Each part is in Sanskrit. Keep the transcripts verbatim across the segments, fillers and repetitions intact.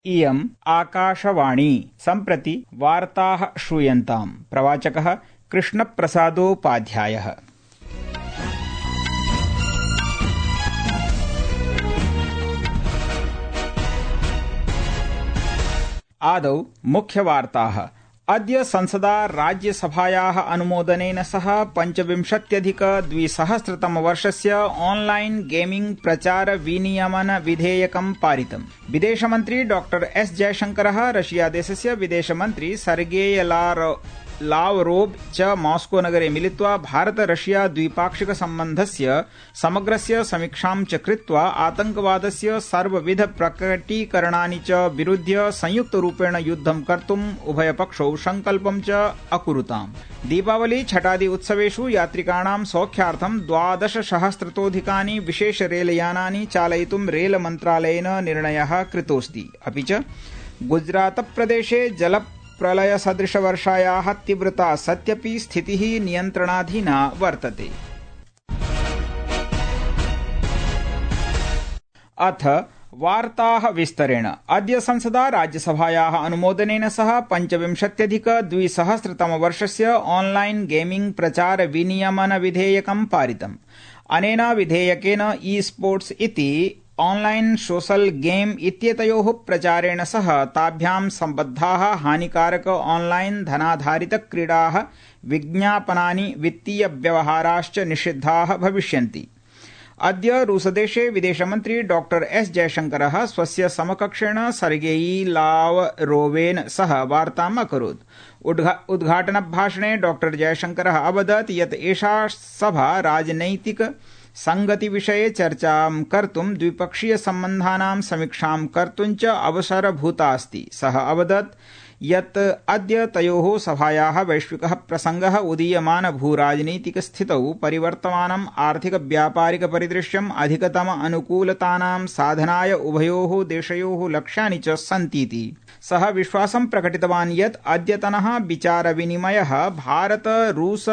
इयम् आकाशवाणी सम्प्रति वार्ताः श्रूयन्ताम्। प्रवाचकः कृष्णप्रसादोपाध्यायः। आदौ मुख्यवार्ताः। अद्य संसदा राज्यसभायाः अनुमोदनेन सह पञ्चविंशत्यधिक द्विसहस्रतमवर्षस्य ऑनलाइन गेमिंग प्रचार विनियमन विधेयकं पारितम्। विदेशमन्त्री डॉक्टर एस जयशंकरः रशियादेशस्य विदेशमन्त्री सर्गेई लावरोव च मॉस्को नगरे मिलित्वा भारत रशिया द्विपाक्षिक सम्बन्धस्य समग्रस्य समीक्षां च कृत्वा आतंकवादस्य सर्वविध प्रकटीकरणानि च विरुध्य संयुक्तरूपेण युद्धं कर्तुम् उभयपक्षौ संकल्पं च अकुरुताम्। दीपावली छठादि उत्सवेषु यात्रिकाणां सौख्यार्थं द्वादशसहस्रतोऽधिकानि विशेष रेलयानानि चालयितुं रेल मन्त्रालयेन निर्णयः कृतोऽस्ति। अपि च गुजरातप्रदेशे जल प्रलय सदृश वर्षायाः तीव्रता सत्यपि स्थितिः नियन्त्रणाधीना वर्तते। अथ वार्ताः विस्तरेण। अद्य संसदा राज्यसभायाः अनुमोदनेन सह पञ्चविंशत्यधिक द्विसहस्रतमवर्षस्य ऑनलाइन गेमिंग प्रचार विनियमन विधेयकं पारितम्। अनेन विधेयकेन ई स्पोर्ट्स इति ऑनलाइन सोशल गेम इत्येतयोः प्रचारेण सह ताभ्यां सम्बद्धाः हानिकारक ऑनलाइन धनाधारित क्रीडाः, विज्ञापनानि, वित्तीय व्यवहाराश्च निषिद्धाः भविष्यन्ति। अद्य रूसदेशे विदेशमन्त्री डॉक्टर एस जयशंकरः स्वस्य समकक्षेण सर्गेई लावरोवेन सह वार्ताम् अकरोत्। उद्घाटनभाषणे डॉक्टर जयशंकरः अवदत् यत् एषा सभा राजनैतिक संगति विषये चर्चां कर्तुं द्विपक्षीय सम्बन्धानां समीक्षां कर्तुं च अवसरभूता अस्ति। सः अवदत् यत् अद्य तयोः सभायाः वैश्विकः प्रसङ्गः उदीयमान भूराजनीतिक स्थितौ परिवर्तमानम् आर्थिक व्यापारिक परिदृश्यम् अधिकतम अनुकूलतानां साधनाय उभयोः देशयोः लक्ष्यानि च सन्तीति। सः विश्वासं प्रकटितवान् यत् अद्यतनः विचारविनिमयः भारत रूस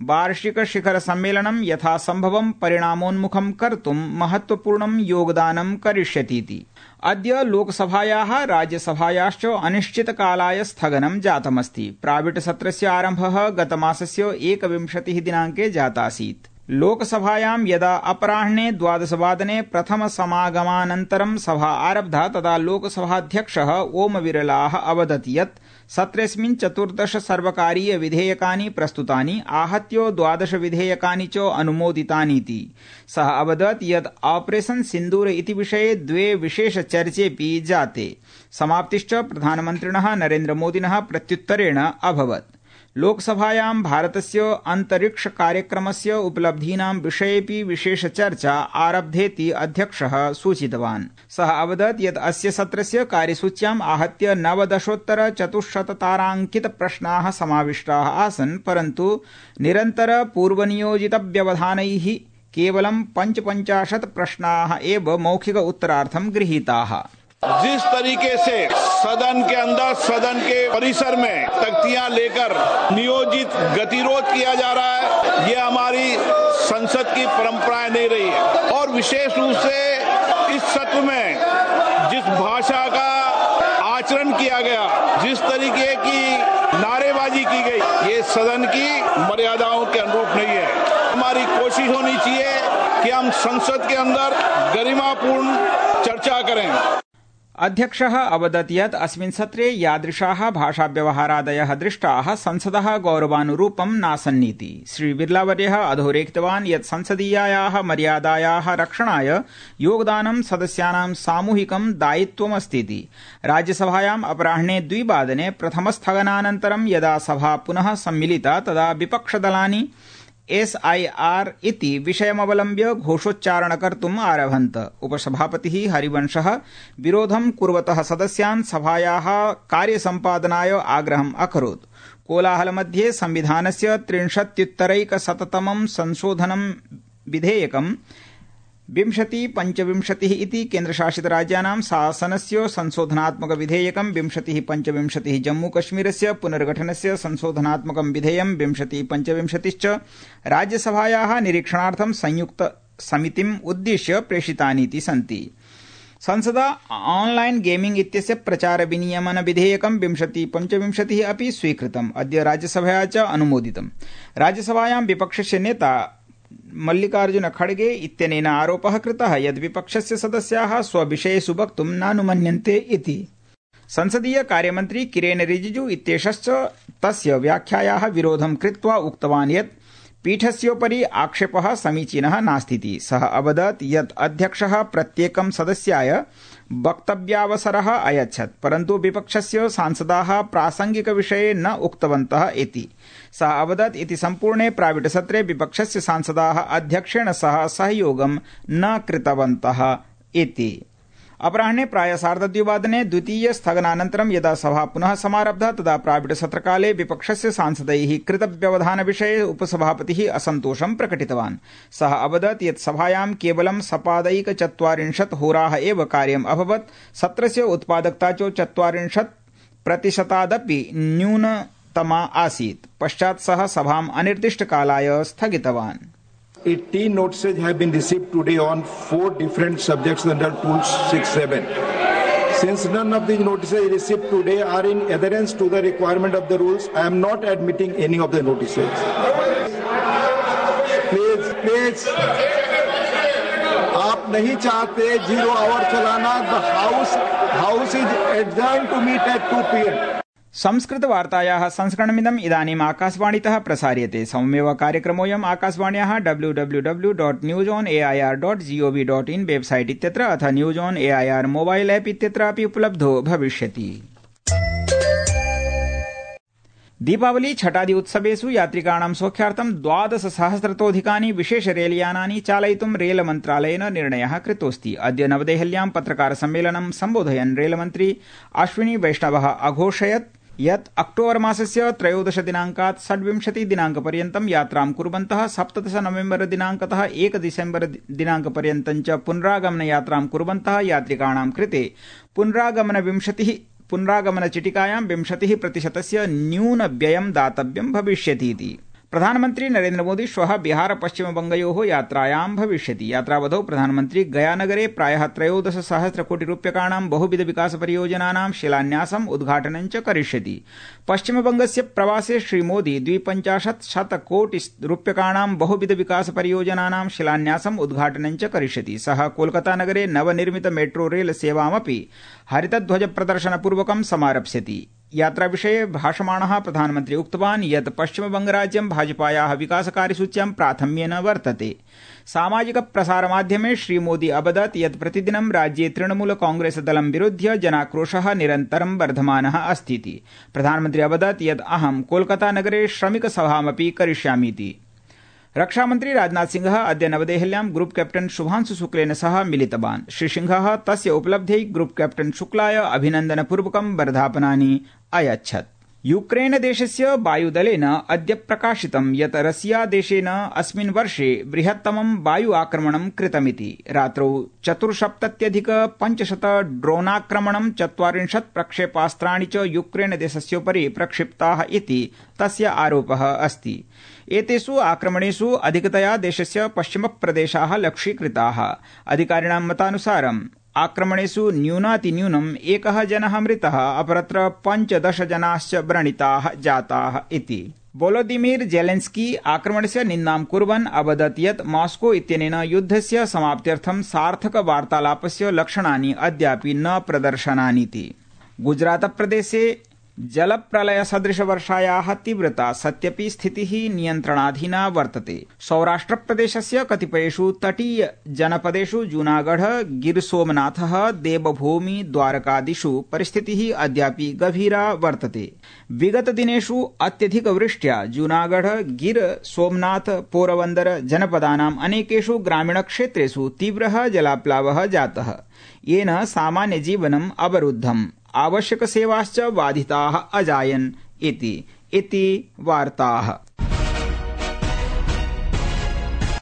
वार्षिक शिखर सम्मेलनं यथासम्भवं परिणामोन्मुखं कर्तुं महत्वपूर्णं योगदानं करिष्यतीति। अद्य लोकसभायाः राज्यसभायाश्च अनिश्चितकालाय स्थगनं जातमस्ति। प्राविट सत्रस्य आरम्भः गतमासस्य एकविंशतिः दिनाङ्के जातासीत्। लोकसभायां यदा अपराह्ने द्वादशवादने प्रथम समागमानन्तरं सभा आरब्धा तदा लोकसभाध्यक्षः ओम बिरलाः अवदत् यत् सत्रेऽस्मिन् चतुर्दश सर्वकारीय विधेयकानि प्रस्तुतानि, आहत्य द्वादश विधेयकानि च अनुमोदितानीति। सः अवदत् यत् ऑपरेशन सिन्दूर इति विषये द्वे विशेष चर्चेऽपि जाते। समाप्तिश्च प्रधानमन्त्रिणः नरेन्द्र मोदिनः प्रत्युत्तरेण अभवत्। लोकसभायां भारतस्य अंतरिक्ष कार्यक्रमस्य उपलब्धीनां विषयेऽपि विशेष चर्चा आरब्धेति अध्यक्षः सूचितवान्। सः अवदत् यत् अस्य सत्रस्य कार्यसूच्याम् आहत्य नवदशोत्तर चतुश्शतताराङ्कित प्रश्नाः समाविष्टाः आसन्, परन्तु निरन्तर पूर्वनियोजित व्यवधानैः केवलं पञ्चपञ्चाशत् प्रश्नाः एव मौखिक उत्तरार्थं गृहीताः। जिस तरीके से सदन के अंदर, सदन के परिसर में तख्तियां लेकर नियोजित गतिरोध किया जा रहा है, ये हमारी संसद की परंपराएं नहीं रही है। और विशेष रूप से इस सत्र में जिस भाषा का आचरण किया गया, जिस तरीके की नारेबाजी की गई, ये सदन की मर्यादाओं के अनुरूप नहीं है। हमारी कोशिश होनी चाहिए कि हम संसद के अंदर गरिमापूर्ण चर्चा करें। अध्यक्षः अवदत् यत् अस्मिन् सत्रे यादृशाः भाषाव्यवहारादयः दृष्टाः संसदः गौरवानुरूपं नासन्नीति। श्रीबिरलावर्यः अधोरेखितवान् यत् संसदीयायाः मर्यादायाः रक्षणाय योगदानं सदस्यानां सामूहिकं दायित्वमस्तीति। राज्यसभायाम् अपराह्ने द्विवादने प्रथमस्थगनानन्तरं यदा सभा पुनः सम्मिलिता तदा विपक्षदलानि एस आई आर इति विषयमवलम्ब्य घोषोच्चारण कर्तुम् आरभन्त। उपसभापतिः हरिवंशः विरोधं कुर्वतः सदस्यान् सभायाः कार्यसम्पादनाय आग्रहम् अकरोत्। कोलाहलमध्ये संविधानस्य त्रिंशत्युत्तरैकशततमं संशोधनं विधेयकं विंशति पंचविंशतिः इति केन्द्रशासितराज्यानां शासनस्य संशोधनात्मक विधेयकं विंशतिः पंचविंशतिः जम्मूकश्मीरस्य पुनर्गठनस्य संशोधनात्मकं विधेयं विंशतिः पंचविंशतिश्च राज्यसभायाः निरीक्षणार्थं संयुक्त समितिम् उद्दिश्य प्रेषितानीति सन्ति। संसदा ऑनलाइन गेमिंग इत्यस्य प्रचार विनियमन विधेयकं विंशति पञ्चविंशतिः अपि स्वीकृतम्। अद्य राज्यसभया च अनुमोदितम्। राज्यसभायां विपक्षस्य नेता मल्लिकार्जुन खड़गे इत्यनेन आरोपः कृतः यत् विपक्षस्य सदस्याः स्वविषयेषु वक्तुं नानुमन्यन्ते इति। संसदीय कार्यमन्त्री किरेन रिजिजू इत्येषश्च तस्य व्याख्यायाः विरोधं कृत्वा उक्तवान् यत् पीठस्योपरि आक्षेपः समीचीनः नास्तीति। सः अवदत् यत् अध्यक्षः प्रत्येकं सदस्याय वक्तव्यावसरः अयच्छत्, परन्तु विपक्षस्य सांसदाः प्रासंगिकविषये न उक्तवन्तः इति। सः अवदत् इति सम्पूर्णे प्राविडसत्रे विपक्षस्य सांसदाः अध्यक्षेण सह सहयोगं न कृतवन्तः इति। अपराह्ने प्राय सार्धद्विवादने द्वितीय स्थगनानन्तरं यदा सभा पुनः समारब्धा तदा प्राविडसत्रकाले विपक्षस्य सांसदैः कृतव्यवधानविषये उपसभापतिः असन्तोषं प्रकटितवान्। सः अवदत् यत् सभायां केवलं सपादैकचत्वारिंशत् होराः एव कार्यम् अभवत्। सत्रस्य उत्पादकता च चत्वारिंशत् प्रतिशतादपि न्यूनतमा आसीत्। पश्चात् सः सभाम् अनिर्दिष्टकालाय स्थगितवान्। eighteen notices have been received today on four different subjects under Rule six seven. Since none of these notices received today are in adherence to the requirement of the rules, I am not admitting any of the notices. Please, please. आप नहीं चाहते जीरो आवर चलाना। The house house is adjourned to meet at two p m Sanskrit वार्तायाः संस्करणमिदम् इदानीम् आकाशवाणीतः प्रसार्यते। सममेव कार्यक्रमोऽयम् आकाशवाण्याः W W W dot news on A I R dot G O V dot in website इत्यत्र अथ news on A I R mobile app इत्यत्र अपि उपलब्धो भविष्यति। दीपावली छठादि उत्सवेषु यात्रिकाणां सौख्यार्थं द्वादश सहस्रतोऽधिकानि विशेष रेलयानानि चालयितुं रेल मन्त्रालयेन निर्णयः कृतोऽस्ति। अद्य नवदेहल्यां पत्रकार सम्मेलनं सम्बोधयन् रेलमन्त्री अश्विनी वैष्णवः अघोषयत् यत् अक्टोबर मासस्य त्रयोदश दिनांकात् षड्विंशति दिनांकपर्यन्तं यात्रां कुर्वन्तः सप्तदश नवेम्बर दिनांकतः एक डिसेम्बर दिनांकपर्यन्तं च पुनरागमन यात्रां कुर्वन्तः यात्रिकाणां कृते पुनरागमन विंशतिः पुनरागमन चिटिकायां विंशतिः प्रतिशतस्य न्यून व्ययं दातव्यं भविष्यतीति। प्रधानमन्त्री नरेन्द्र मोदी श्वः बिहार पश्चिमबंगयोः यात्रायां भविष्यति। यात्रावधौ प्रधानमन्त्री गयानगरे प्रायः त्रयोदश सहस्र कोटि रूप्यकाणां बहुविध विकास परियोजनानां शिलान्यासम् उद्घाटनं च करिष्यति। पश्चिमबंगस्य प्रवासे श्रीमोदी द्विपञ्चाशत् शतकोटि रूप्यकाणां बहुविध विकास परियोजनानां शिलान्यासम् उद्घाटनं च करिष्यति। सः कोलकातानगरे नवनिर्मित मेट्रो रेल सेवामपि हरितध्वज प्रदर्शनपूर्वकं समारप्स्यति। यात्राविषये भाषमाणः प्रधानमन्त्री उक्तवान् यत् पश्चिमबंगराज्यं भाजपायाः विकासकार्यसूच्यां प्राथम्येन वर्तते। सामाजिक प्रसारमाध्यमे श्रीमोदी अवदत् यत् प्रतिदिनं राज्ये तृणमूल कांग्रेस दलं विरुध्य जनाक्रोशः निरन्तरं वर्धमानः अस्तीति। प्रधानमन्त्री अवदत् यत् अहं कोलकातानगरे श्रमिकसभामपि करिष्यामीति। रक्षामन्त्री राजनाथ सिंहः अद्य नवदेहल्यां ग्रुप कैप्टन शुभांशु शुक्लेन सह मिलितवान्। श्रीसिंहः तस्य उपलब्ध्यै ग्रुप कैप्टन शुक्लाय अभिनन्दनपूर्वकं वर्धापनानि अयच्छत्। यूक्रेन देशस्य वायुदलेन अद्य प्रकाशितं यत् रशिया देशेन अस्मिन् वर्षे बृहत्तमं वायु आक्रमणं कृतमिति। रात्रौ चतुर्सप्तत्यधिक पञ्चशत ड्रोनाक्रमणं चत्वारिंशत् प्रक्षेपास्त्राणि च यूक्रेन देशस्योपरि प्रक्षिप्ताः इति तस्य आरोपः अस्ति। एतेषु आक्रमणेषु अधिकतया देशस्य पश्चिमप्रदेशाः लक्ष्यीकृताः। अधिकारिणां मतानुसारम् आक्रमणेषु न्यूनातिन्यूनम् एकः जनः मृतः, अपरत्र पञ्चदश जनाश्च व्रणिताः जाताः इति। वोलोदिमीर जेलेन्स्की आक्रमणस्य निन्दां कुर्वन् अवदत् यत् मॉस्को इत्यनेन युद्धस्य समाप्त्यर्थं सार्थक वार्तालापस्य लक्षणानि अद्यापि न प्रदर्शनानीति। गुजरातप्रदेशे जलप्रलयसदृशवर्षायाः तीव्रता सत्यपि स्थितिः नियन्त्रणाधीना वर्तते। सौराष्ट्रप्रदेशस्य कतिपयेषु तटीय जनपदेषु जूनागढ़, गिर सोमनाथः, देवभूमि, द्वारकादिषु परिस्थितिः अद्यापि गभीरा वर्तते। विगत दिनेषु अत्यधिकवृष्ट्या जूनागढ़, गिर सोमनाथ, पोरबन्दर जनपदानाम् अनेकेषु ग्रामीणक्षेत्रेषु तीव्रः जलाप्लावः जातः, येन सामान्यजीवनम् अवरुद्धम्, आवश्यकसेवाश्च बाधिताः अजायन् इति इति वार्ताः।